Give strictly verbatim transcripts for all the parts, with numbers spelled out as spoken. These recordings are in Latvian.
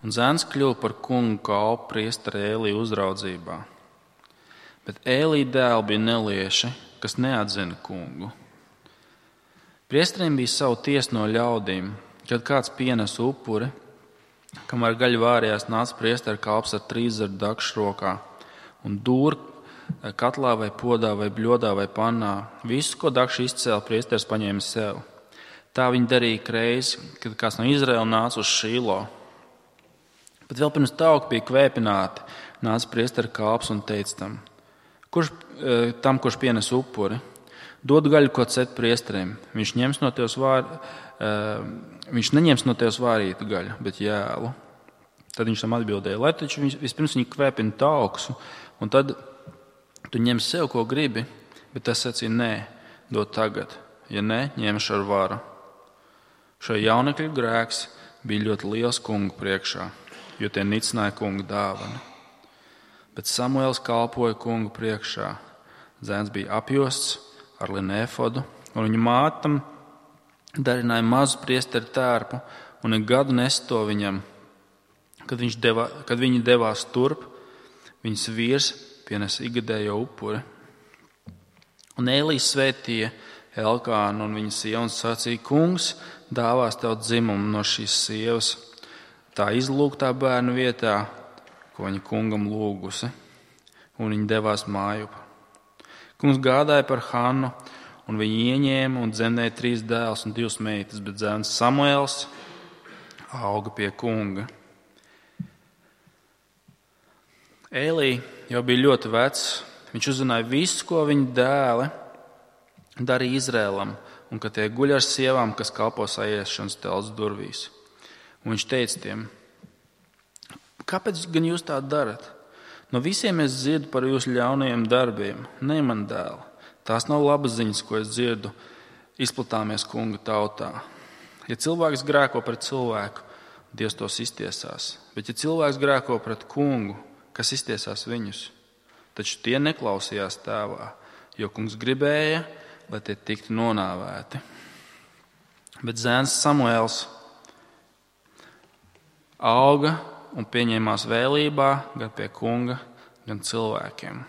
Un zēns kļuva par kungu kalpu priestera Ēlija uzraudzībā. Bet Ēlija dēli bija nelieši, kas neatzina kungu. Priesteriem bija savu tiesu no ļaudīm, kad kāds pienes upuri, kamēr gaļa vārījās, nāca priestera kalps ar trīszaru dakšu rokā un dūr katlā vai podā vai bļodā vai pannā. Visu, ko dakšu izcēla, priesteris paņēma sev. Tā viņi darīja reizi, kad kāds no Izraēla nāca uz Šīlo. Bet vēl pirms tauki bija kvēpināti, nāca priestera kalps un teica tam, kurš, tam, kurš pienes upuri, dod gaļu, ko cet priesteriem. Viņš, ņems no tevis vār, viņš neņems no tevis vārītu gaļu, bet jēlu. Tad viņš tam atbildēja, lai taču vispirms viņi kvēpina tauksu, un tad tu ņem sev, ko gribi, bet tas sacīja, nē, dod tagad, ja nē, ņemšu ar varu. Šo jaunekļu grēks bija ļoti liels kungu priekšā, jo tie nicināja kunga dāvanu. Bet Samuēls kalpoja kungu priekšā. Zēns bija apjosts ar linu efodu, un viņa mātam darināja mazu priesteru tērpu, un ik gadu nes to viņam. Kad, viņš deva, kad viņi devās turp, viņas vīrs pienes ikgadējo upuri. Un Ēlijs svētīja Elkānu un viņa sievu un sacīja, kungs dāvās tev dzimumu no šīs sievas, tā izlūgtā bērnu vietā, ko viņa kungam lūgusi, un viņa devās mājup. Kungs gādāja par Hannu, un viņa ieņēma un dzemdēja trīs dēlus un divas meitas, bet zēns Samuēls auga pie kunga. Ēlī jau bija ļoti vecs, viņš uzzināja visu, ko viņa dēli darīja Izrēlam, un ka tie guļ ar sievām, kas kalpo saiešanas telts durvīs. Un viņš teica tiem, kāpēc gan jūs tā darat? No visiem es dzirdu par jūsu ļaunajiem darbiem, ne man dēli. Tās nav labas ziņas, ko es dzirdu, izplatāmies kunga tautā. Ja cilvēks grēko pret cilvēku, Dievs tos iztiesās. Bet ja cilvēks grēko pret kungu, kas iztiesās viņus? Taču tie neklausījās tēvā, jo kungs gribēja, lai tie tiktu nonāvēti. Bet zēns Samuēls auga un pieņēmās vēlībā gan pie kunga, gan cilvēkiem.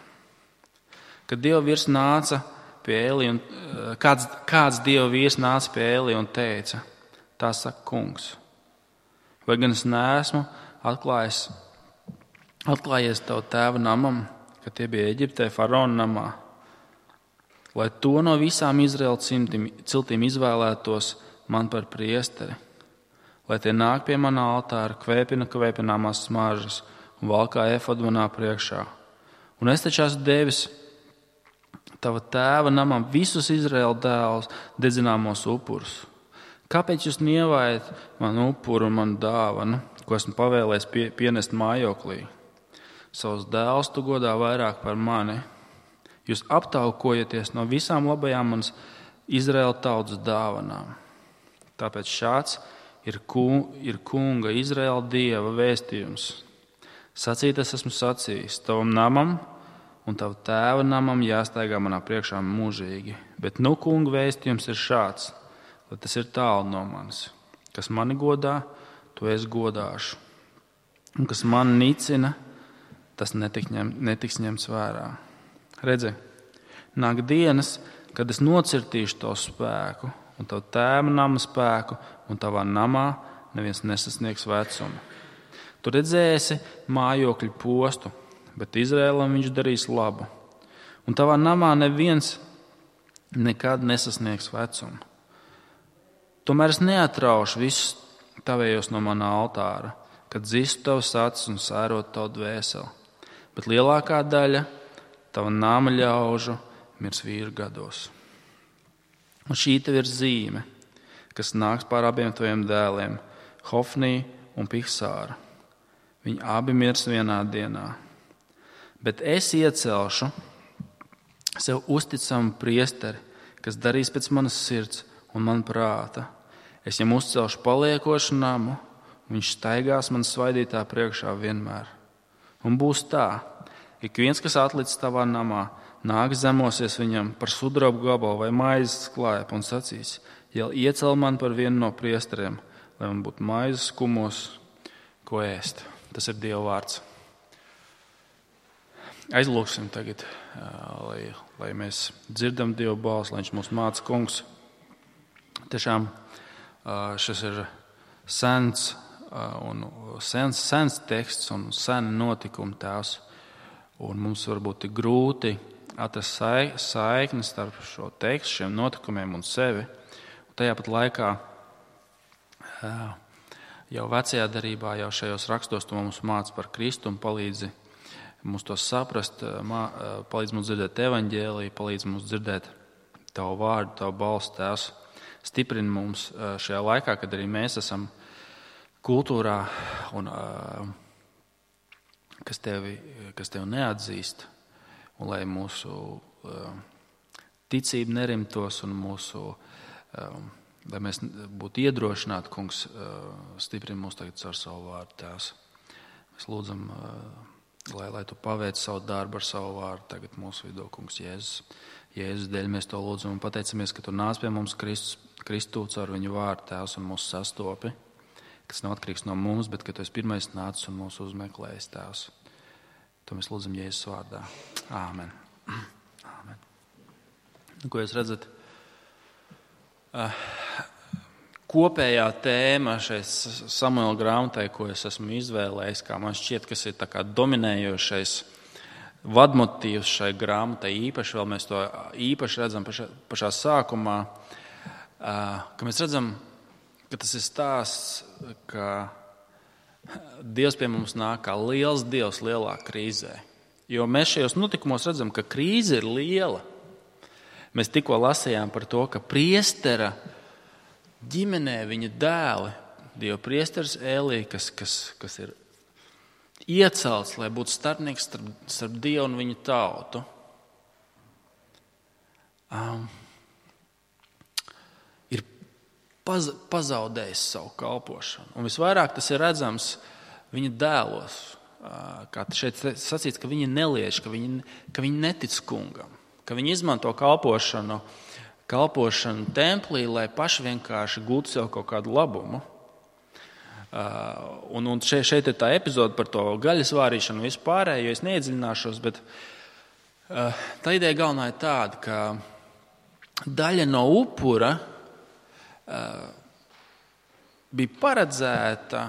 Kad Dieva vīrs nāca pie Ēlija, un kāds, kāds Dieva vīrs nāca pie Ēlija un teica, tā saka kungs, vai gan es neesmu atklājis, atklājies tavu tēva namam, kad tie bija Eģiptē faraona namā, lai to no visām Izraēla ciltīm izvēlētos man par priesteri, lai tie nāk pie mana altāra, kvēpina kvēpināmās smaržas un valkā efodu manā priekšā. Un es taču esmu devis tava tēva namam visus Izraēla dēlus dedzināmos upurus. Kāpēc jūs nievājat manu upuru un manu dāvanu, ko esmu pavēlējis pie, pienest mājoklī? Savus dēlus tu godā vairāk par mani. Jūs aptaukojaties no visām labajām manas Izraēla tautas dāvanām. Tāpēc šāds ir, ku, ir kunga Izraēla Dieva vēstījums. Sacīt es esmu sacījis, tavam namam un tavu tēva namam jāstaigā manā priekšā mūžīgi. Bet nu kunga vēstījums ir šāds, lai tas ir tālu no manis. Kas mani godā, to es godāšu. Un kas mani nicina, tas netiks, ņem, netiks ņemts vērā. Redzi, nāk dienas, kad es nocirtīšu tavu spēku un tavu tēva nama spēku, un tavā namā neviens nesasniegs vecumu. Tu redzēsi mājokļu postu, bet Izrēlam viņš darīs labu. Un tavā namā neviens nekad nesasniegs vecumu. Tomēr es neatraušu visus tavējos no mana altāra, kad zistu tavas acis un sērot tavu dvēseli. Bet lielākā daļa tava nama ļaužu mirs vīru gados. Un šī tev ir zīme, kas nāks pār abiem taviem dēliem, Hofnī un Pihsāra. Viņi abi mirs vienā dienā. Bet es iecelšu sev uzticamu priesteri, kas darīs pēc manas sirds un man prāta. Es viņam uzcelšu paliekošu namu, un viņš staigās man svaidītā priekšā vienmēr. Un būs tā, ik viens, kas atlicis tavā namā, nāk zemosies viņam par sudrabu gabalu vai maizes klaipu un sacīs, ja iecel man par vienu no priesteriem, lai man būtu maizes skumos, ko ēst. Tas ir Dieva vārds. Aizlūksim tagad, lai, lai mēs dzirdam Dieva balsi, lai viņš mūs māca, kungs. Tiešām šis ir sens, un sens, sens teksts un sen notikuma tēvs. Un mums varbūt ir grūti atrast saikni starp šo tekstu, šiem notikumiem un sevi. Un tajā pat laikā jau vecajā darībā, jau šajos rakstos tu mums māca par Kristu un palīdzi mums to saprast, palīdz mums dzirdēt evaņģēliju, palīdz mums dzirdēt tavu vārdu, tavu balstu, tēvs. Stiprini mums šajā laikā, kad arī mēs esam kultūrā, un, kas, tevi, kas tevi neatzīst, un lai mūsu ticība nerimtos un mūsu, lai mēs būtu iedrošināti, kungs, stiprini mūs tagad caur savu vārdu, tēvs. Mēs lūdzam, lai, lai tu paveic savu darbu ar savu vārdu tagad mūsu vidū, kungs, Jēzus. Jēzus dēļ mēs to lūdzam un pateicamies, ka tu nāc pie mums Kristus, Kristu caur viņu vārdu, tēvs, un mūs sastopi, kas nav atkarīgs no mums, bet ka tu esi pirmais nācis un mūs uzmeklējis, tēvs. To mēs lūdzam Jēzus vārdā. Āmen. Āmen. Ko jūs redzat? Kopējā tēma šeit Samuela grāmatai, ko es esmu izvēlējis, kā man šķiet, kas ir tā kā dominējošais vadmotīvs šai grāmatai, īpaši vēl mēs to īpaši redzam pašā, pašā sākumā, ka mēs redzam, ka tas ir stāsts, ka Dievs pie mums nāk kā liels Dievs lielā krīzē. Jo mēs šajos notikumos redzam, ka krīze ir liela. Mēs tikko lasījām par to, ka priestera ģimenē viņa dēli, Dieva priesteris Ēlija, kas, kas, kas ir iecelts, lai būtu starpnieks starp, starp Dievu un viņa tautu, um, ir paz, pazaudējis savu kalpošanu. Un visvairāk tas ir redzams viņa dēlos, uh, kā šeit sacīts, ka viņi neliež, ka viņi, ka viņi netic kungam, ka viņi izmanto kalpošanu, kalpošanu templī, lai paši vienkārši gūtu sev kaut kādu labumu. Uh, un, un šeit, šeit ir tā epizode par to gaļas vārīšanu vispārējo, jo es neiedziļināšos, bet uh, tā ideja galvenā ir tāda, ka daļa no upura uh, bija paredzēta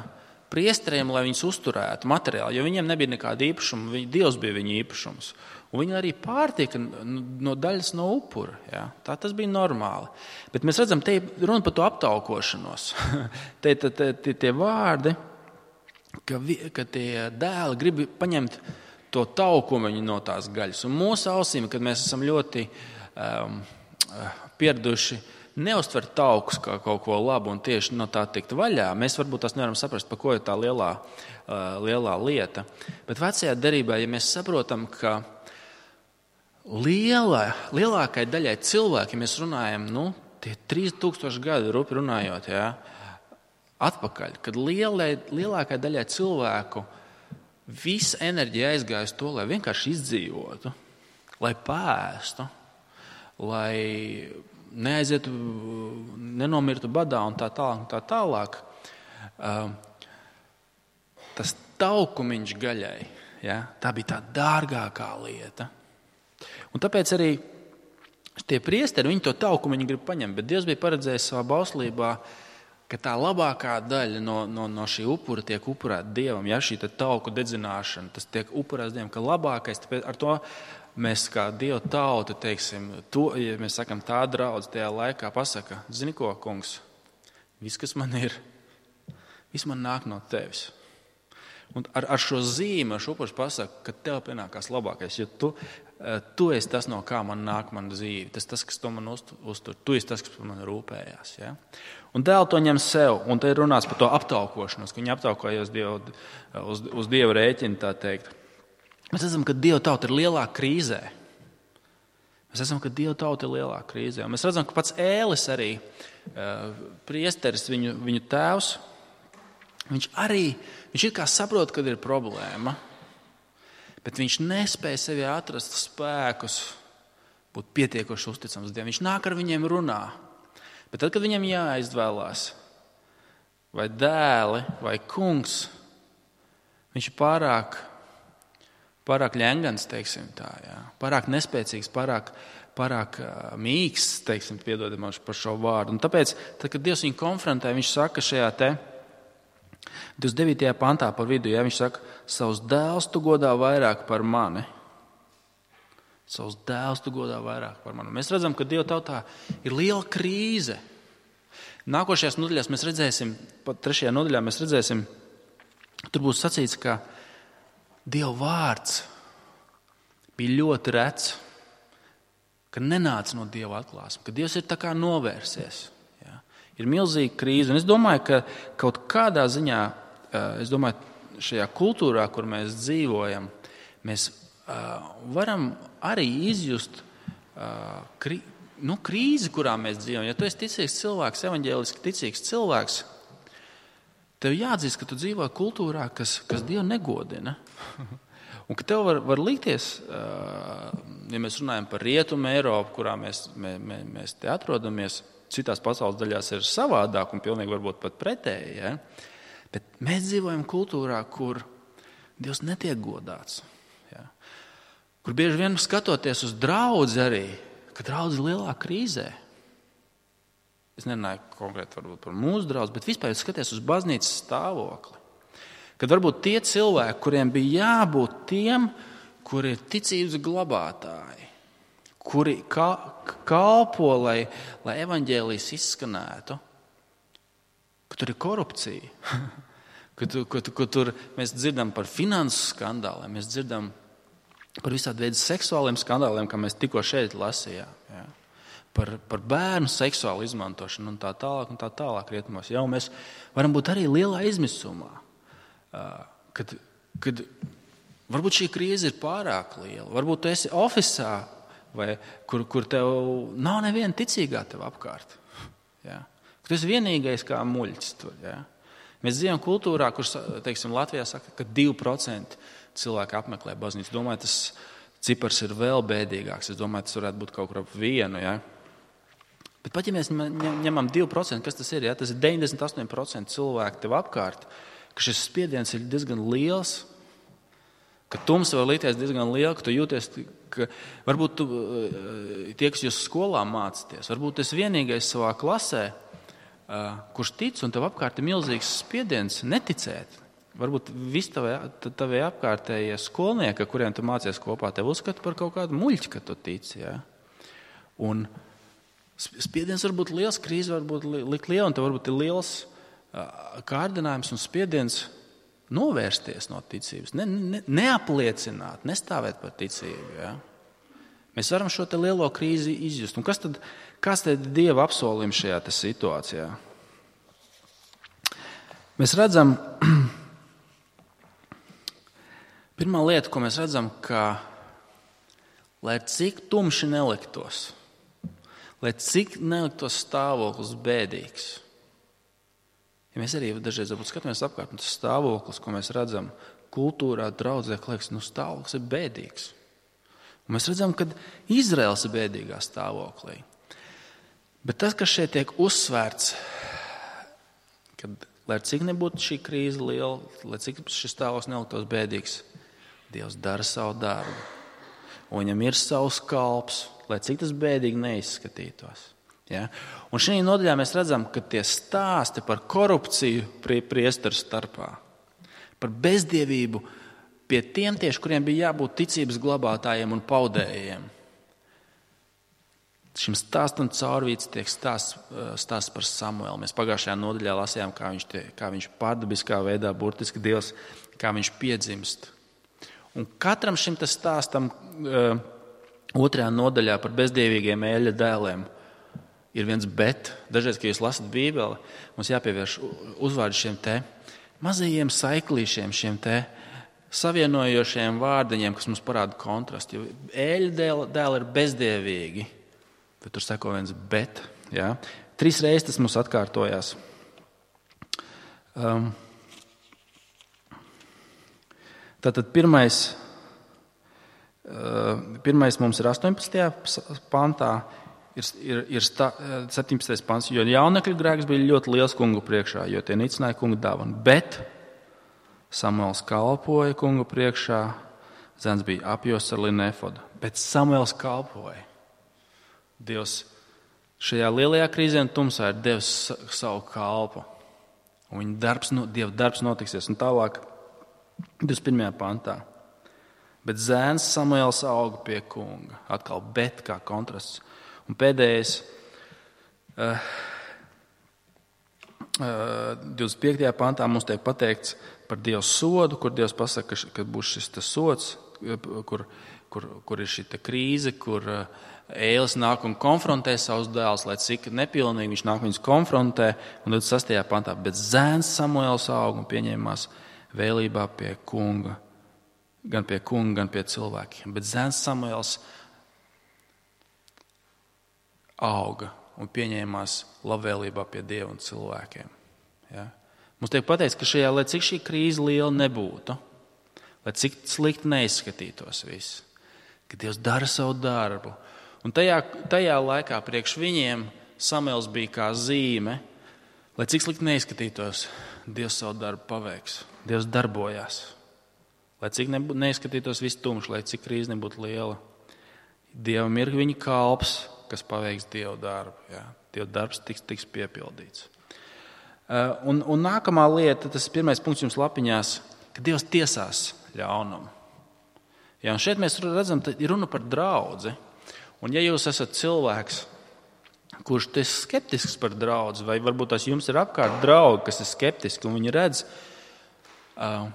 priesteriem, lai viņus uzturētu materiāli, jo viņiem nebija nekāda īpašuma, viņi, Dievs bija viņa īpašums. Un viņi arī pārtika no daļas no upura. Ja? Tā tas bija normāli. Bet mēs redzam, te ir runa par to aptaukošanos. te ir tie vārdi, ka, vi, ka tie dēli grib paņemt to taukumiņu no tās gaļas. Un mūsu ausīm, kad mēs esam ļoti um, pieraduši neuztvert taukus kā kaut ko labu un tieši no tā tikt vaļā, mēs varbūt tās nevaram saprast, par ko ir tā lielā, uh, lielā lieta. Bet vecajā derībā, ja mēs saprotam, ka Liela, lielākai daļai cilvēki, mēs runājam, nu, tie trīs tūkstoši gadi, rupi runājot, jā, atpakaļ, kad lielai, lielākai daļai cilvēku visa enerģija aizgāja uz to, lai vienkārši izdzīvotu, lai pēstu, lai neaizietu, nenomirtu badā un tā tālāk, un tā tālāk. Tas taukumiņš gaļai, jā, tā bija tā dārgākā lieta. Un tāpēc arī tie priesteri, viņi to taukumu viņi grib paņemt, bet Dievs bija paredzējis savā bauslībā, ka tā labākā daļa no, no, no šī upura tiek upurēta Dievam, ja šī tauku dedzināšana, tas tiek upurēts Dievam, ka labākais, tāpēc ar to mēs kā Dieva tauta, teiksim, to, ja mēs sakam tā draudz tajā laikā pasaka, zini ko, kungs, viss, kas man ir, viss man nāk no tevis. Un ar, ar šo zīmi, ar šo upuru pasaka, ka tev pienākās labākais, jo tu, tu esi tas, no kā man nāk mana dzīve, tas tas, kas to man uztur, tu esi tas, kas par mani rūpējās. Ja? Un dēli to ņem sev, un te ir runāts par to aptaukošanos, ka viņi aptaukojas Dievu, uz, uz Dieva rēķina, tā teikt. Mēs esam, ka Dieva tauta ir lielā krīzē. Mēs esam, ka Dieva tauta ir lielā krīzē. Un mēs redzam, ka pats Ēlis arī, priesteris, viņu, viņu tēvs, viņš arī, viņš ir kā saprot, kad ir problēma, bet viņš nespēja sevi atrast spēkus, būt pietiekoši uzticams Dievam. Viņš nāk ar viņiem runā, bet tad, kad viņam jāizvēlās, vai dēli, vai kungs, viņš ir pārāk, pārāk ļengans, teiksim tā, jā. Pārāk nespēcīgs, pārāk, pārāk mīksts, teiksim, piedodam par šo vārdu. Un tāpēc, tad, kad Dievs viņu konfrontē, viņš saka šajā te divdesmit devītajā pantā par vidu, jā, viņš saka, savus dēlus tu godā vairāk par mani. Savus dēlus tu godā vairāk par mani. Mēs redzam, ka Dieva tautā ir liela krīze. Nākošajās nodaļās mēs redzēsim, pat trešajā nodaļā mēs redzēsim, tur būs sacīts, ka Dieva vārds bija ļoti rets, ka nenāca no Dieva atklāsmes, ka Dievs ir tā kā novērsies. Ja? Ir milzīga krīze, un es domāju, ka kaut kādā ziņā, es domāju, šajā kultūrā, kur mēs dzīvojam, mēs varam arī izjust krīzi. Nu, krīzi, kurā mēs dzīvojam. Ja tu esi ticīgs cilvēks, evaņģēliski ticīgs cilvēks, tev jāatzīst, ka tu dzīvo kultūrā, kas, kas Dievu negodina. Un ka tev var, var likties, ja mēs runājam par Rietumu Eiropu, kurā mēs, mē, mē, mēs te atrodamies, citās pasaules daļās ir savādāk un pilnīgi varbūt pat pretēji. Ja? Bet mēs dzīvojam kultūrā, kur Dievs netiek godāts. Ja? Kur bieži vien skatoties uz draudzi arī, ka draudze ir lielā krīzē. Es nerunāju konkrēti varbūt par mūsu draudzi, bet vispār skaties uz baznīcas stāvokli. Kad varbūt tie cilvēki, kuriem bija jābūt tiem, kuri ir ticības glabātāji, kuri kalpo, lai, lai evaņģēlijs izskanētu, ka tur ir korupcija, ka, tu, ka, tu, ka tur mēs dzirdam par finansu skandāliem, mēs dzirdam par visādi veidu seksuāliem skandāliem, kā mēs tikko šeit lasījām. Ja? Par, par bērnu seksuālu izmantošanu un tā tālāk un tā tālāk rietumos. Ja? Un mēs varam būt arī lielā izmisumā, kad, kad varbūt šī krīze ir pārāk liela. Varbūt tu esi ofisā, vai, kur, kur tev nav neviena ticīgā tev apkārt. Ja? Tu esi vienīgais kā muļķis tur. Ja? Mēs dzīvojam kultūrā, kur, teiksim, Latvijā saka, ka divi procenti cilvēki apmeklē baznīcu. Es domāju, tas cipars ir vēl bēdīgāks. Es domāju, tas varētu būt kaut kur ap vienu. Ja? Bet pat ja mēs ņemam divi procenti, kas tas ir? Ja? Tas ir deviņdesmit astoņi procenti cilvēku tev apkārt, ka šis spiediens ir diezgan liels, ka tumsa var likties diezgan liela, ka tu jūties, ka varbūt tu, tie, kas jūs skolā mācāties, varbūt tu esi vienīgais savā klasē, kurš tic, un tev apkārt ir milzīgs spiediens neticēt. Varbūt visi tavi apkārtējie skolnieki, kuriem tu mācies kopā, tev uzskata par kaut kādu muļķi, ka tu tici. Ja? Un spiediens var būt liels, krīze var būt likt liela, un tev varbūt ir liels kārdinājums un spiediens novērsties no ticības, ne, ne, neapliecināt, nestāvēt par ticību. Ja? Mēs varam šo te lielo krīzi izjust. Un kas tad, kas tad ir Dieva apsolījums šajā te situācijā? Mēs redzam, pirmā lieta, ko mēs redzam, ka, lai cik tumši neliktos, lai cik neliktos stāvoklis bēdīgs, ja mēs arī dažreiz skatāmies apkārt, un tas stāvoklis, ko mēs redzam kultūrā, draudzē, liekas, nu stāvoklis ir bēdīgs. Un mēs redzam, ka Izraels ir bēdīgā stāvoklī. Bet tas, kas šeit tiek uzsvērts, kad, lai cik nebūtu šī krīze liela, lai cik šis stāvoklis neliktos bēdīgs, Dievs dara savu darbu. Un viņam ir savs kalps, lai cik tas bēdīgi neizskatītos. Ja? Un šajā nodaļā mēs redzam, ka tie stāsti par korupciju priesteru starpā, par bezdievību pie tiem tieši, kuriem bija jābūt ticības glabātājiem un paudējiem. Šim stāstam caurvīts tiek stāsts, stāsts par Samuelu. Mēs pagājušajā nodaļā lasījām, kā viņš, tie, kā viņš pārdabiskā veidā, burtiski Dievs, kā viņš piedzimst. Un katram šim stāstam uh, otrajā nodaļā par bezdievīgiem Ēļa dēliem ir viens bet. Dažreiz, kad jūs lasat Bībeli, mums jāpievērš uzvārdu šiem te mazajiem saiklīšiem, šiem te savienojošiem vārdiņiem, kas mums parāda kontrastu. Jo Ēļa dēli ir bezdievīgi, bet tur seko viens bet. Ja? Trīs reizes tas mums atkārtojās. Um, Tātad pirmais, pirmais mums ir astoņpadsmitajā pantā, ir, ir, ir stā, septiņpadsmitais pants, jo jaunekļu grēks bija ļoti liels kungu priekšā, jo tie nicināja kungu dāvanu. Bet Samuels kalpoja kunga priekšā, zēns bija apjosts ar linu efodu. Bet Samuels kalpoja. Dievs šajā lielajā krīzē un tumsā ir devis savu kalpu. Un viņa darbs, Dieva darbs notiksies. Un tālāk, divdesmit pirmajā pantā. Bet zēns Samuels auga pie kunga. Atkal bet kā kontrasts. Un pēdējais, uh, uh, divdesmit piektajā pantā mums tiek pateikts par Dieva sodu, kur Dievs pasaka, ka būs šis tas sods, kur, kur, kur ir šī krīze, kur Ēlis nāk un konfrontē savus dēlus, lai cik nepilnīgi viņš nāk viņus konfrontē. Un divdesmit sastajā pantā, bet zēns Samuels auga un pieņēmās vēlībā pie kunga, gan pie kunga, gan pie cilvēkiem. Bet zēns Samuels auga un pieņēmās labvēlībā pie Dieva un cilvēkiem. Ja? Mums tiek pateikts, ka šajā, lai cik šī krīze liela nebūtu, lai cik slikti neizskatītos viss, ka Dievs dara savu darbu. Un tajā, tajā laikā priekš viņiem Samuels bija kā zīme, lai cik slikti neizskatītos, Dievs savu darbu paveiks. Dievs darbojās. Lai cik nebūtu, neizskatītos viss tumšs, lai cik krīze nebūtu liela. Dievam ir viņa kalps, kas paveiks Dieva darbu. Jā. Dieva darbs tiks, tiks piepildīts. Un, un nākamā lieta, tas pirmais punkts jums lapiņās, ka Dievs tiesās ļaunumu. Ja, un šeit mēs redzam, ka ir runa par draudzi. Un ja jūs esat cilvēks, kurš ir skeptisks par draudzi, vai varbūt tās jums ir apkārt draugi, kas ir skeptiski, un viņi redz uh,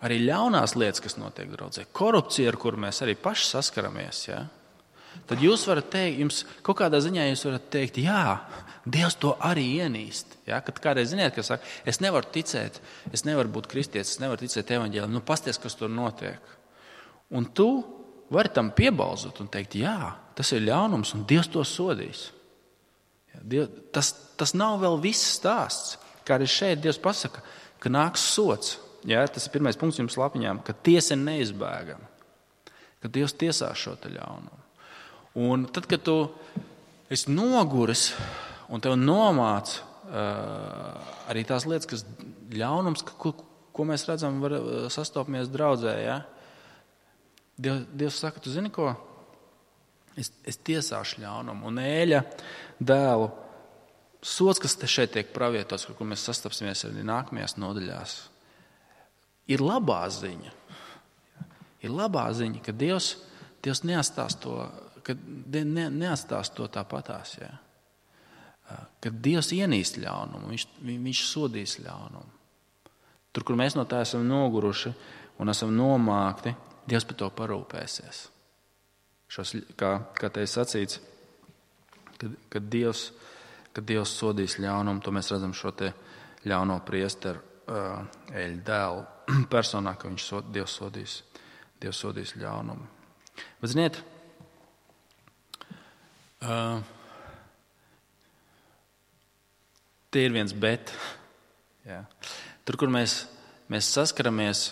arī ļaunās lietas, kas notiek draudzē, korupcija, ar kuru mēs arī paši saskaramies, ja? Tad jūs varat teikt, jums kaut kādā ziņā jūs varat teikt, jā, Dievs to arī ienīst. Ja? Kad kādreiz ziniet, kas saka, es nevaru ticēt, es nevaru būt kristietis, es nevaru ticēt evaņģēlim, nu pasties, kas tur notiek. Un tu vari tam piebalzot un teikt, jā, tas ir ļaunums un Dievs to sodīs. Ja, Dievs, tas, tas nav vēl viss stāsts. Kā arī šeit Dievs pasaka, ka nāks sods. Ja, tas ir pirmais punkts jums lapiņām, ka tiesa ir neizbēgama. Ka Dievs tiesās šo te ļaunumu. Un tad, kad tu esi noguris un tev nomāc uh, arī tās lietas, kas ļaunums, ko, ko mēs redzam, var sastopamies draudzē, ja? Dievs, Dievs saka, tu zini ko? Es, es tiesāšu ļaunumu. Un Ēļa dēlu sods, kas te šeit tiek pravietots, kur, kur mēs sastapsimies arī nākamajās nodaļās, ir labā ziņa. Ir labā ziņa, ka Dievs, Dievs neatstās to, ka ne, neatstās to tāpatās. Ja? Kad Dievs ienīst ļaunumu, viņš, viņš sodīs ļaunumu. Tur, kur mēs no tā esam noguruši un esam nomākti, Dievs par to parūpēsies. Šos, kā, kā te ir sacīts, kad, kad, Dievs, kad Dievs sodīs ļaunumu, to mēs redzam šo te ļauno priesteru uh, Ēļa dēlu personā, ka viņš sod, Dievs sodīs, Dievs sodīs ļaunumu. Bet ziniet, uh, te ir viens bet. Jā. Tur, kur mēs, mēs saskaramies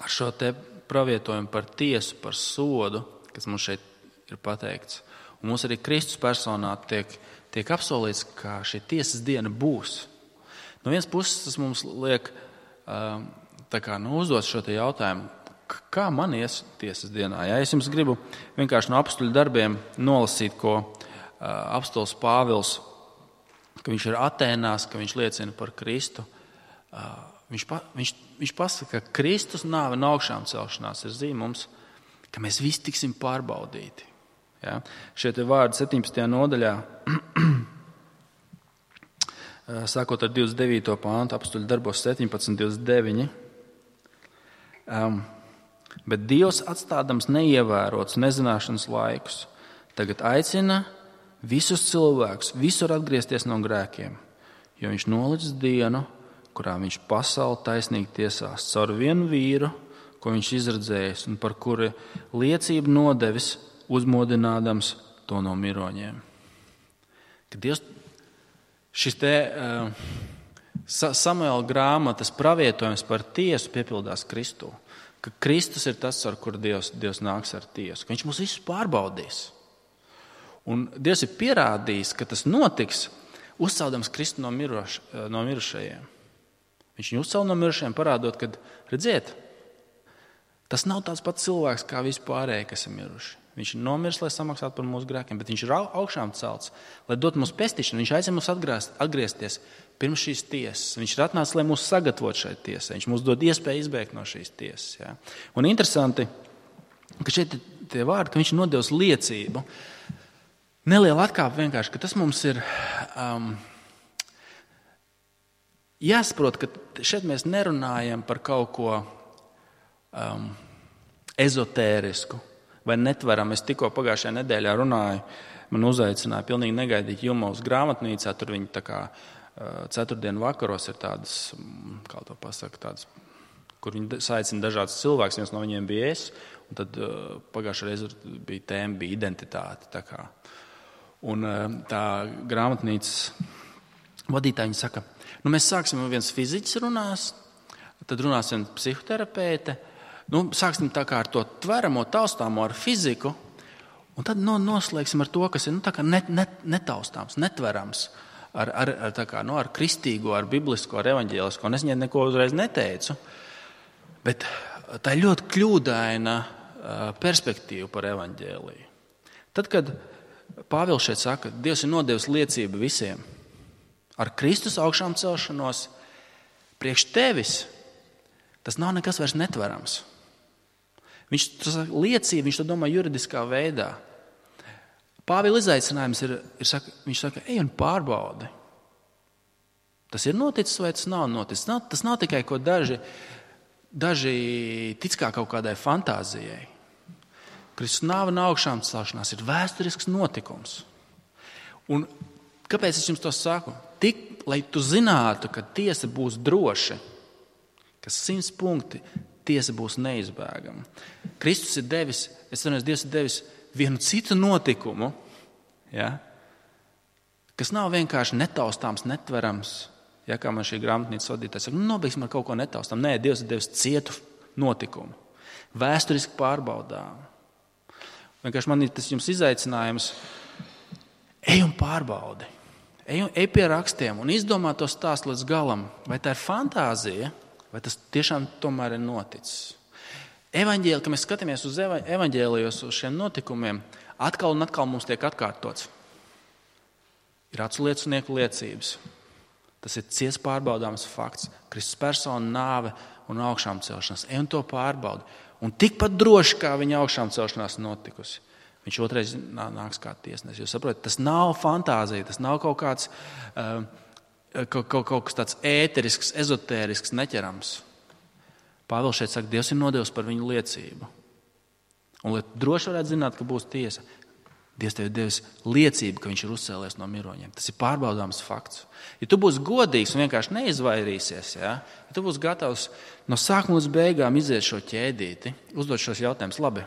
ar šo te pravietojumu par tiesu, par sodu, kas mums šeit ir pateikts. Un mums arī Kristus personā tiek, tiek apsolīts, ka šī tiesas diena būs. No vienas puses tas mums liek uh, tā kā nu, uzdot šo te jautājumu, kā man ies tiesas dienā. Ja es jums gribu vienkārši no apstuļu darbiem nolasīt, ko uh, apstulis Pāvils, ka viņš ir Atēnās, ka viņš liecina par Kristu. Uh, viņš, pa, viņš, viņš pasaka, ka Kristus nāve un augšām celšanās ir zīme mums, ka mēs visi tiksim pārbaudīti. Ja? Šie te vārdi septiņpadsmitajā nodaļā, sākot ar divdesmit devīto pāntu, apstuļu darbos septiņpadsmit, divdesmit deviņi. Um, bet Dievs atstādams neievērots nezināšanas laikus, tagad aicina visus cilvēkus visur atgriezties no grēkiem, jo viņš nolicis dienu, kurā viņš pasauli taisnīgi tiesās caur vienu vīru, ko viņš izredzējis un par kuri liecību nodevis, uzmodinādams to no miroņiem. Kad Dievs, šis te uh, Samuela grāmatas pravietojums par tiesu piepildās Kristū, ka Kristus ir tas, ar kuru Dievs, Dievs nāks ar tiesu, ka viņš mūs visus pārbaudīs. Un Dievs ir pierādījis, ka tas notiks, uzceldams Kristu no, miroš, no mirušajiem. Viņš viņu uzcēla no mirušajiem, parādot, ka, redziet, tas nav tāds pats cilvēks kā vispārējie, kas ir miruši. Viņš ir nomiris, lai samaksātu par mūsu grēkiem, bet viņš ir augšām celts, lai dot mums pestīšanu. Viņš aicina mums atgriezt, atgriezties pirms šīs tiesas. Viņš ir atnācis, lai mūs sagatavotu šai tiesai. Viņš mums dod iespēju izbēgt no šīs tiesas. Ja? Un interesanti, ka šeit tie vārdi, ka viņš ir nodevis liecību. Neliela atkāpe vienkārši, ka tas mums ir um, jāsaprot, ka šeit mēs nerunājam par kaut ko um, ezotērisku vai netveram. Es tikko pagājušajā nedēļā runāju, man uzaicināja pilnīgi negaidīt Jumovas grāmatnīcā. Tur viņi tā kā ceturtdienu vakaros ir tādas, kā to pasaka, tādas, kur viņi saicina dažādas cilvēkus. Viens no viņiem bija es, un tad pagājušajā reizē bija tēma, bija identitāte. Tā kā. Un tā grāmatnīcas vadītāji saka, nu mēs sāksim, viens fiziķis runās, tad runās viens psihoterapeite. Nu, sāksim tā kā ar to tveramo, taustāmo, ar fiziku, un tad no, noslēgsim ar to, kas ir nu, tā kā net, net, netaustāms, netverams, ar, ar, ar, tā kā, nu, ar kristīgo, ar biblisko, ar evaņģēlisko. Un es viņai neko uzreiz neteicu, bet tā ir ļoti kļūdaina perspektīva par evaņģēliju. Tad, kad Pāvils šeit saka, Dievs ir nodevis liecību visiem ar Kristus augšām celšanos, priekš tevis tas nav nekas vairs netverams. Viņš to liecība, viņš to domā juridiskā veidā. Pāvila izaicinājums ir, ir saka, viņš saka, ej un pārbaudi. Tas ir noticis vai tas nav noticis? Tas nav, tas nav tikai ko daži, daži tic kā kaut kādai fantāzijai. Kristus nāve un augšām celšanās ir vēsturisks notikums. Un kāpēc es jums to saku? Tik, lai tu zinātu, ka tiesa būs droši, ka simts punkti tiesa būs neizbēgama. Kristus ir devis, es domāju, Dievs ir devis vienu citu notikumu, ja, kas nav vienkārši netaustāms, netverams, ja, kā man šī grāmatnīcas vadītājs saka, nu, nobeigsim ar kaut ko netaustām. Nē, Dievs ir devis cietu notikumu, vēsturiski pārbaudām. Vienkārši man ir tas jums izaicinājums, ej un pārbaudi, ej, ej pie rakstiem un izdomā to stāstu līdz galam, vai tā ir fantāzija, vai tas tiešām tomēr ir noticis. Evaņģēli, kad mēs skatāmies uz evaņģēlijos, uz šiem notikumiem, atkal un atkal mums tiek atkārtots. Ir aculiecinieku liecības. Tas ir cies pārbaudāms fakts. Kristus persona, nāve un augšām celšanās. Ej un to pārbaudi. Un tikpat droši, kā viņa augšām celšanās notikusi, viņš otrais nāks kā tiesnesis. Jūs saprotat, tas nav fantāzija, tas nav kaut kāds... Uh, Kaut, kaut, kaut kas tāds ēterisks, ezotērisks, neķerams. Pāvils šeit saka, Dievs ir nodevis par viņu liecību. Un, lai droši varētu zināt, ka būs tiesa, Dievs tev ir devis liecību, ka viņš ir uzcēlies no miroņiem. Tas ir pārbaudāms fakts. Ja tu būsi godīgs un vienkārši neizvairīsies, ja, ja tu būsi gatavs no sākuma līdz beigām iziet šo ķēdīti, uzdot šos jautājumus, labi,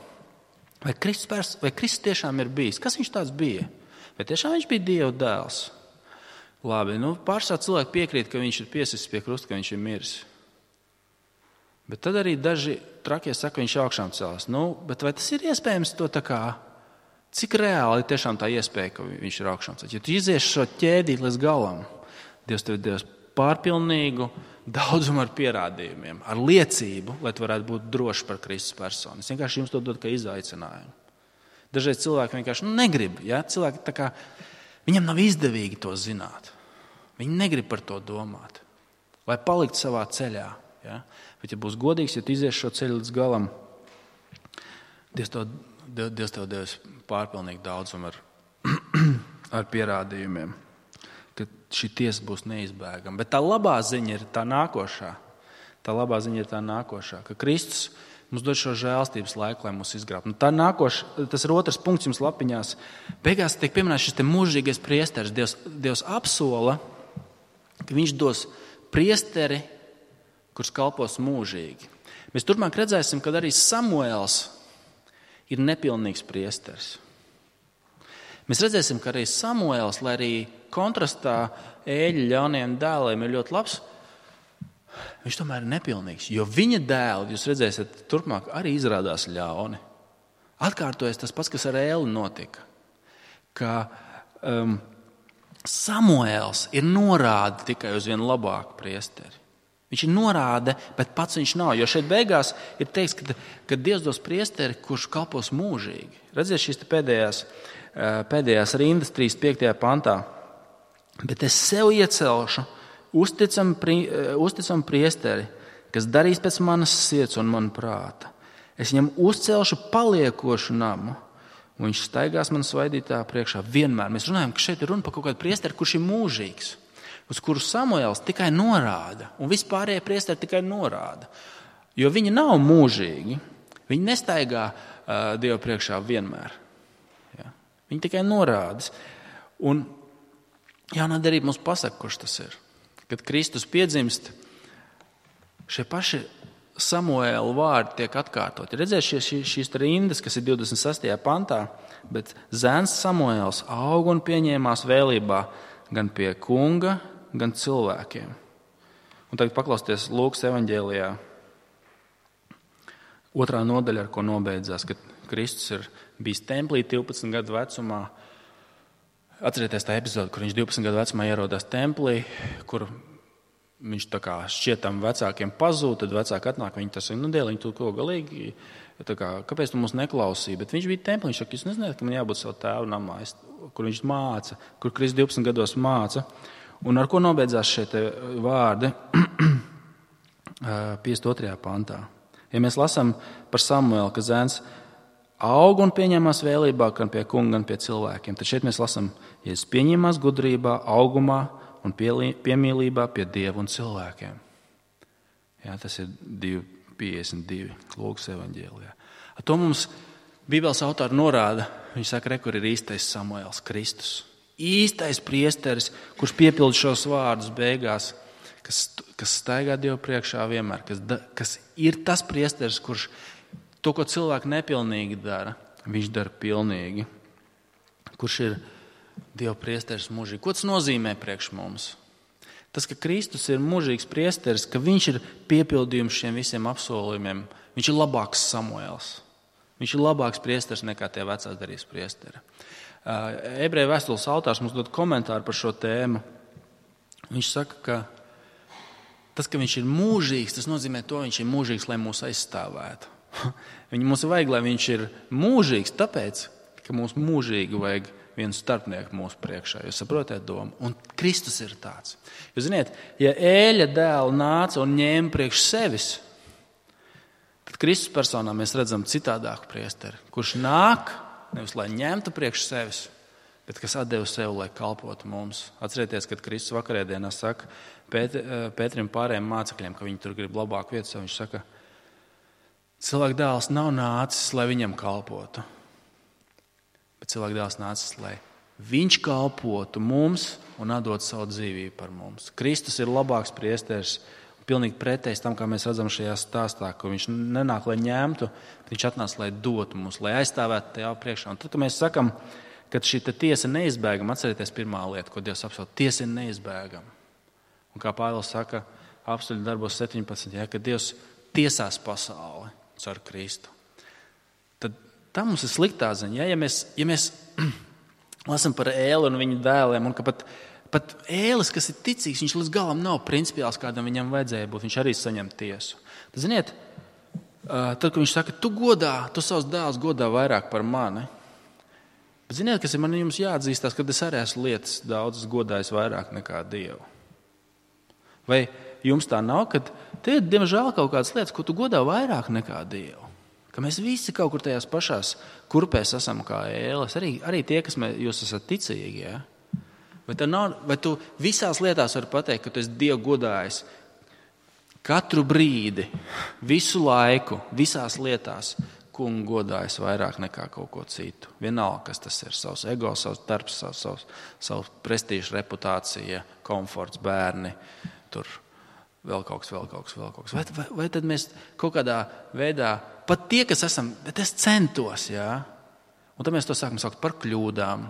vai Kristus, pers, vai Kristus tiešām ir bijis? Kas viņš tāds bija? Vai tiešām viņš bija Dieva dēls? Labi, nu pārsvarā cilvēki piekrīt, ka viņš ir piesists pie krusta, ka viņš ir miris. Bet tad arī daži trakie saka, ka viņš augšām celās. Nu, bet vai tas ir iespējams to tā kā, cik reāli ir tiešām tā iespēja, ka viņš ir augšām celās? Ja tu izies šo ķēdīt līdz galam, Dievs tev devis pārpilnīgu daudzumu ar pierādījumiem, ar liecību, lai tu varētu būt droši par Kristus personu. Es vienkārši jums to dodu kā izaicinājumu. Dažreiz cilvēki vienkārši nu, negrib, ja? Cilvēki tā kā, viņam nav izdevīgi to zināt. Viņi negrib par to domāt, lai palikt savā ceļā. Ja? Bet, ja būs godīgs, ja tu izies šo ceļu līdz galam, Dievs tev, Dievs tev devis pārpilnīgi daudzumu ar, ar pierādījumiem, ka šī tiesa būs neizbēgama. Bet tā labā ziņa ir tā nākošā. Tā labā ziņa ir tā nākošā, ka Kristus mums dod šo žēlstības laiku, lai mūs izgrābtu. Nu, tā nākoša, tas ir otrs punkts jums lapiņās. Beigās tiek pieminēts šis te mūžīgais priesteris. Dievs, Dievs apsola, ka viņš dos priesteri, kurš kalpos mūžīgi. Mēs turpmāk redzēsim, ka arī Samuēls ir nepilnīgs priesteris. Mēs redzēsim, ka arī Samuēls, lai arī kontrastā Ēļa ļaunajiem dēliem ir ļoti labs, viņš tomēr ir nepilnīgs, jo viņa dēli, jūs redzēsiet, turpmāk arī izrādās ļauni. Atkārtojas tas pats, kas ar Ēli notika, ka um, Samuēls ir norāda tikai uz vienu labāku priesteri. Viņš ir norāde, bet pats viņš nav. Jo šeit beigās ir teikts, ka, ka Dievs dos priesteri, kurš kalpos mūžīgi. Redziet šīs pēdējās, pēdējās rindas trīsdesmit piektajā pantā. Bet es sev iecelšu uzticam, uzticam priesteri, kas darīs pēc manas sirds un man prāta. Es viņam uzcelšu paliekošu namu, un viņš staigās man svaidītā priekšā vienmēr. Mēs runājam, ka šeit ir runa par kaut kādu priesteri, kurš ir mūžīgs, uz kuru Samuēls tikai norāda, un vispārējie priesteri tikai norāda. Jo viņi nav mūžīgi, viņi nestaigā uh, Dievu priekšā vienmēr. Ja? Viņi tikai norādas. Un jaunā derība mums pasaka, kurš tas ir. Kad Kristus piedzimst, šie paši Samuēla vārdi tiek atkārtoti. Redzēs šīs, šīs rindas, kas ir divdesmit sestajā pantā, bet zēns Samuēls aug un pieņēmās vēlībā gan pie kunga, gan cilvēkiem. Un tagad paklausieties Lūkas evaņģēlijā otrā nodaļa, ar ko nobeidzās, kad Kristus ir bijis templī divpadsmit gadu vecumā. Atcerieties tā epizode, kur viņš divpadsmit gadu vecumā ierodās templī, kur viņš tā kā šķietam vecākiem pazūd, tad vecāki atnāk, viņi tas ir, nu, dēliņ, tu ko galīgi, tā kā, kāpēc tu mūs neklausīji? Bet viņš bija templī, viņš saka, jūs nezināt, ka man jābūt savu tēvu namā, kur viņš māca, kur Kristus divpadsmit gados māca. Un ar ko nobeidzās šie te vārdi piecdesmit otrajā pantā? Ja mēs lasām par Samuēlu, ka zēns aug un pieņemās vēlībā gan pie kunga, gan pie cilvēkiem, tad šeit mēs lasām, ja es pieņemās gudrībā, augumā, un piemīlībā pie Dieva un cilvēkiem. Jā, tas ir divi piecdesmit divi Lūkas evaņģēlijā. Ar to mums Bībeles autori norāda, viņi saka, re, kur ir īstais Samuēls, Kristus. Īstais priesteris, kurš piepild šos vārdus beigās, kas, kas staigā Dievu priekšā vienmēr, kas, da, kas ir tas priesteris, kurš to, ko cilvēki nepilnīgi dara, viņš dara pilnīgi. Kurš ir Dieva priesteris mūžīgi. Ko tas nozīmē priekš mums? Tas, ka Kristus ir mūžīgs priesteris, ka viņš ir piepildījums šiem visiem apsolījumiem, viņš ir labāks Samuēls. Viņš ir labāks priesteris nekā tie vecās darības priesteri. Ebreju vēstules autors mums dod komentāru par šo tēmu. Viņš saka, ka tas, ka viņš ir mūžīgs, tas nozīmē to, ka viņš ir mūžīgs, lai mūs aizstāvētu. Viņu mums vajag, lai viņš ir mūžīgs, tāpēc, ka mums mūžīgi vajag vienu starpnieku mūsu priekšā. Jūs saprotat domu? Un Kristus ir tāds. Jūs ziniet, ja Ēļa dēlu nāca un ņēma priekš sevis, tad Kristus personā mēs redzam citādāku priesteri, kurš nāk, nevis lai ņemtu priekš sevis, bet kas atdeva sev, lai kalpotu mums. Atcerieties, kad Kristus vakarēdienā saka Pēt, Pētrim pārējiem mācekļiem, ka viņi tur grib labāku vietu, viņš saka, cilvēka dēls nav nācis, lai viņam kalpotu. Bet cilvēka dēls nācis, lai viņš kalpotu mums un atdot savu dzīvību par mums. Kristus ir labāks priesteris, pilnīgi pretējs tam, kā mēs redzam šajā stāstā, ka viņš nenāk, lai ņemtu, bet viņš atnāca, lai dotu mums, lai aizstāvētu tajā priekšā. Un tad, kad mēs sakam, ka šī tiesa ir neizbēgama, atcerieties pirmā lieta, ko Dievs apsauc, tiesa ir neizbēgama. Un kā Pāvils saka, apstuļu darbos septiņpadsmit, ja, ka Dievs tiesās pasauli caur Kristu. Tā mums ir sliktā ziņa. Ja, ja mēs, ja mēs lasām par Ēli un viņa dēliem, un ka pat, pat Ēlis, kas ir ticīgs, viņš līdz galam nav principiāls, kādam viņam vajadzēja būt, viņš arī saņem tiesu. Tad, ziniet, tad, kad viņš saka, tu godā, tu savus dēlus godā vairāk par mani, bet ziniet, kas ir man jums jāatzīstās, kad es arī esmu lietas daudzas godājis vairāk nekā Dievu. Vai jums tā nav, kad te ir, diemžēl, kaut kādas lietas, ko tu godā vairāk nekā Dievu? Ka mēs visi kaut kur tajās pašās kurpēs esam kā Ēlis, arī, arī tie, kas mēs, jūs esat ticīgi. Ja? Vai, nav, vai tu visās lietās vari pateikt, ka tu esi Dievu godājis katru brīdi, visu laiku, visās lietās, kungu godājis vairāk nekā kaut ko citu. Vienalga, kas tas ir, savs ego, savs darbs, savs, savs, savs prestīža, reputācija, komforts, bērni, tur vēl kaut kas, vēl kaut kas, vēl kaut kas. Vai, vai, vai tad mēs kaut kādā veidā, pat tie, kas esam, bet es centos, jā. Un tad mēs to sākam saukt par kļūdām,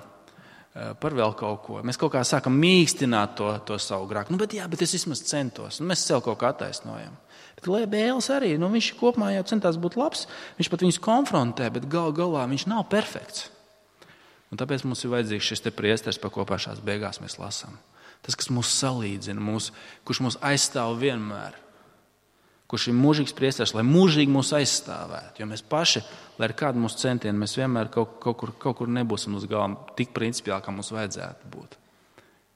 par vēl kaut ko. Mēs kaut kā sākam mīkstināt to, to savu grāku. Nu, bet jā, bet es vismaz centos. Nu, mēs sev kaut kā attaisnojam. Bet Ēlis arī, nu, viņš kopumā jau centās būt labs, viņš pat viņus konfrontē, bet gal galā viņš nav perfekts. Un tāpēc mums ir vajadzīgs šis te priesteris, pa ko pašās beigās mēs lasām. Tas, kas mūs salīdzina, mūs, kurš mūs aizstāv vienmēr. kurš ir mūžīgs priesteris, lai mūžīgi mūs aizstāvētu. Jo mēs paši, lai ir kāda mūsu centieni, mēs vienmēr kaut, kaut, kur, kaut kur nebūsim uz galām tik principiāli, kā mums vajadzētu būt.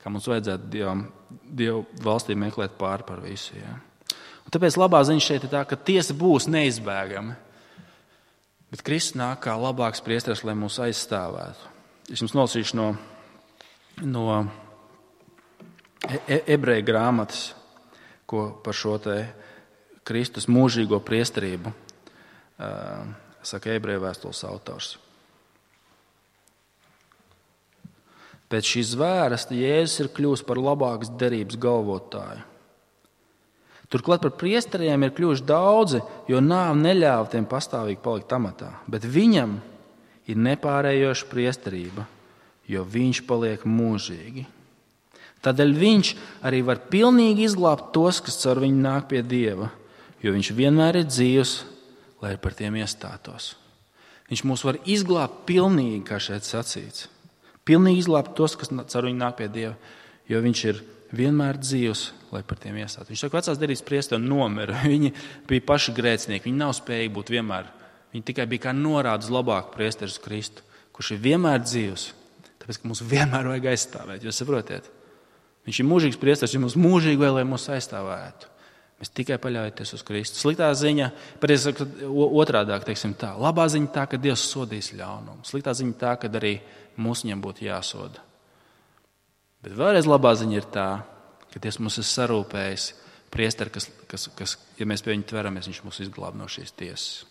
Kā mums vajadzētu Dievam, Dievu valstī meklēt pāri par visu. Ja? Un tāpēc labā ziņa šeit ir tā, ka tiesa būs neizbēgama. Bet Kristus nāk kā labāks priesteris, lai mūs aizstāvētu. Es jums nolasīšu no, no e- ebreju grāmatas, ko par šo te Kristus mūžīgo priesterību uh, saka ebreju vēstules autors. Pēc šīs zvērsta Jēzus ir kļuvis par labākas derības galvotāju. Turklāt par priesteriem ir kļuvuši daudzi, jo nāve neļāva tiem pastāvīgi palikt amatā. Bet viņam ir nepārējoša priesterība, jo viņš paliek mūžīgi. Tādēļ viņš arī var pilnīgi izglābt tos, kas caur viņu nāk pie Dieva, jo viņš vienmēr ir dzīvs, lai par tiem iestātos. Viņš mūs var izglābt pilnīgi, kā šeit sacīts. Pilnīgi izglābt tos, kas caur viņu nāk pie Dieva, jo viņš ir vienmēr dzīvs, lai par tiem iestātos. Viņš saka, vecās derības priesteri nomira. Viņi bija paši grēcinieki, viņi nav spējīgi būt vienmēr. Viņi tikai bija kā norāda uz labāku priesteri uz Kristu, kurš ir vienmēr dzīvs, tāpēc, ka mums vienmēr vajag aizstāvēt. Jūs saprotiet? Viņš ir mūžīgs priesteris, viņš mums mūžīgi vēl, lai mūs aizstāvētu. Mēs tikai paļaujamies uz Kristu. Sliktā ziņa, pareizi sakot, otrādāk, teiksim tā. Labā ziņa tā, ka Dievs sodīs ļaunumu. Sliktā ziņa tā, ka arī mums viņam būtu jāsoda. Bet vēlreiz labā ziņa ir tā, ka Dievs mums ir sarūpējis priesteri, kas, kas, kas, ja mēs pie viņa tveramies, viņš mūs izglāb no šīs tiesas.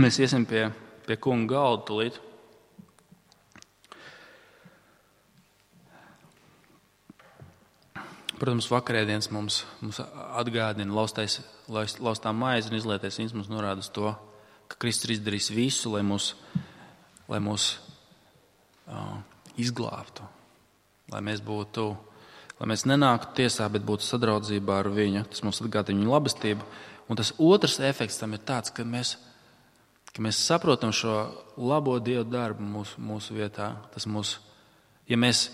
Mēs iesim pie, pie kunga galda tulīt. Protams, vakarēdienas mums, mums atgādina laustais, laustā maize un izlietais vīns mums norāda uz to, ka Kristus ir izdarījis visu, lai mūs, lai mūs uh, izglābtu, lai mēs būtu, lai mēs nenāktu tiesā, bet būtu sadraudzībā ar viņu. Tas mums atgādina viņa labestību. Un tas otrs efekts tam ir tāds, ka mēs, ka mēs saprotam šo labo Dievu darbu mūsu, mūsu vietā. Tas mūs, ja mēs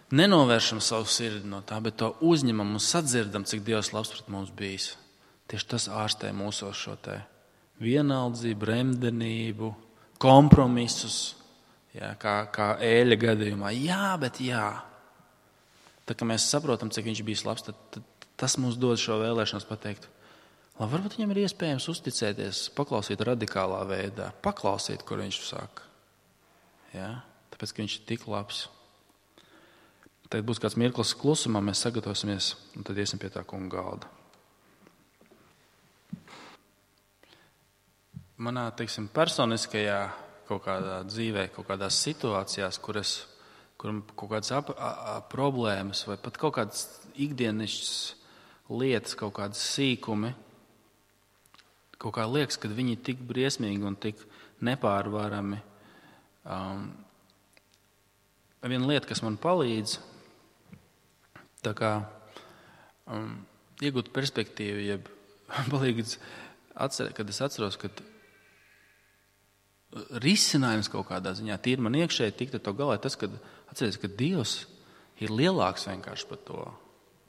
nenovēršam savu sirdi no tā, bet to uzņemam un sadzirdam, cik Dievs labs pret mums bijis. Tieši tas ārstē mūsos šo te vienaldzību, remdenību, kompromisus, jā, kā, kā Ēļa gadījumā. Jā, bet jā. Tā kā mēs saprotam, cik viņš bijis labs, tad, tad tas mums dod šo vēlēšanos pateikt, lai varbūt viņam ir iespējams uzticēties, paklausīt radikālā veidā, paklausīt, kur viņš saka. Jā, tāpēc, ka viņš ir tik labs. Tad būs kāds mirklis klusumā, mēs sagatavosimies un tad iesim pie tā kunga galda. Manā, teiksim, personiskajā kaut kādā dzīvē, kaut kādās situācijās, kur es, kur kaut kādas ap, a, a, problēmas vai pat kaut kādas ikdienišķas lietas, kaut kādas sīkumi, kaut kā liekas, ka viņi ir tik briesmīgi un tik nepārvarami. Um, viena lieta, kas man palīdz, tā kā um, iegūt perspektīvu, jeb palīdz atcerēt, kad es atceros, ka risinājums kaut kādā ziņā tīri man iekšēji tikt ar to galā, tas, kad atceries, ka Dievs ir lielāks vienkārši par to.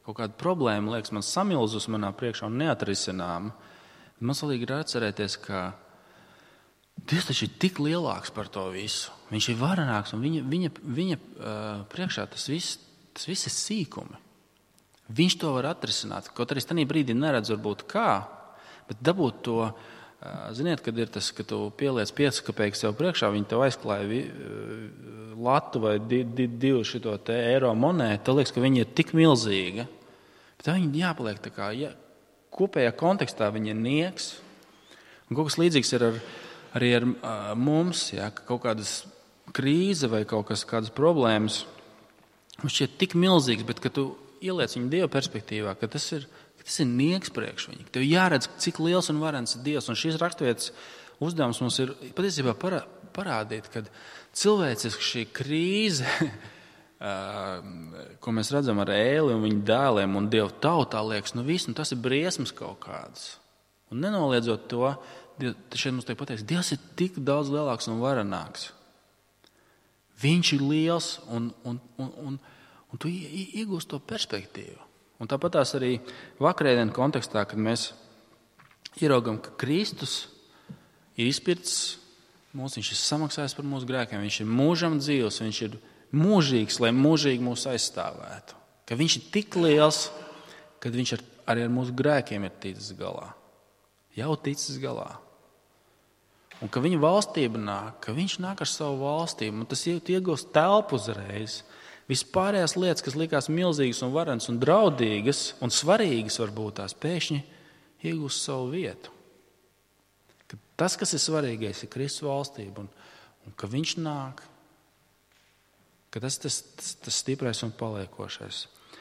Kaut kāda problēma, liekas, man samilzus manā priekšā un neatrisināma. Man svarīgi ir atcerēties, ka Dievs taču ir tik lielāks par to visu. Viņš ir varenāks un viņa, viņa, viņa uh, priekšā tas viss, tas viss ir sīkumi. Viņš to var atrisināt. Kaut arī es tajā brīdī neredzu varbūt kā, bet dabūt to, uh, ziniet, kad ir tas, ka tu pieliec piecas kapeikas sev priekšā, viņi tev aizklāja vi, uh, latu vai di, di, divu šito te eiro monētu, tad liekas, ka viņi ir tik milzīga. Bet tā viņi jāpaliek tā kā, ja, kopējā kontekstā viņi ir nieks. Un kaut kas līdzīgs ir ar arī ar uh, mums, ja, ka kaut kādas krīze vai kaut kas, kādas problēmas, viņš šķiet tik milzīgs, bet kad tu ieliec viņu Dieva perspektīvā, ka tas ir, ka tas ir nieks priekš viņu. Tev jāredz, cik liels un varens ir Dievs. Un šīs raksturvietas uzdevums mums ir patiesībā parā, parādīt, ka cilvēciski šī krīze, uh, ko mēs redzam ar Ēli un viņu dēliem un Dievu tautā, liekas, nu viss, nu tas ir briesmas kaut kādas. Un nenoliedzot to, šeit mums tiek pateikts, Dievs ir tik daudz lielāks un varenāks. Viņš ir liels un, un, un, un, un tu iegūst to perspektīvu. Un tāpat tās arī vakarēdienas kontekstā, kad mēs ieraugam, ka Kristus ir izpircis mūs, viņš ir samaksājis par mūsu grēkiem, viņš ir mūžam dzīvs, viņš ir mūžīgs, lai mūžīgi mūs aizstāvētu. Ka viņš ir tik liels, ka viņš ar, arī ar mūsu grēkiem ir ticis galā. Jau ticis galā. Un ka viņa valstība nāk, ka viņš nāk ar savu valstību, un tas iegūst telpu uzreiz. Vispārējās lietas, kas likās milzīgas un varenas un draudīgas un svarīgas varbūt tās, pēkšņi iegūst savu vietu. Ka tas, kas ir svarīgais, ir Kristus valstība, un, un ka viņš nāk, ka tas ir tas, tas, tas stiprais un paliekošais.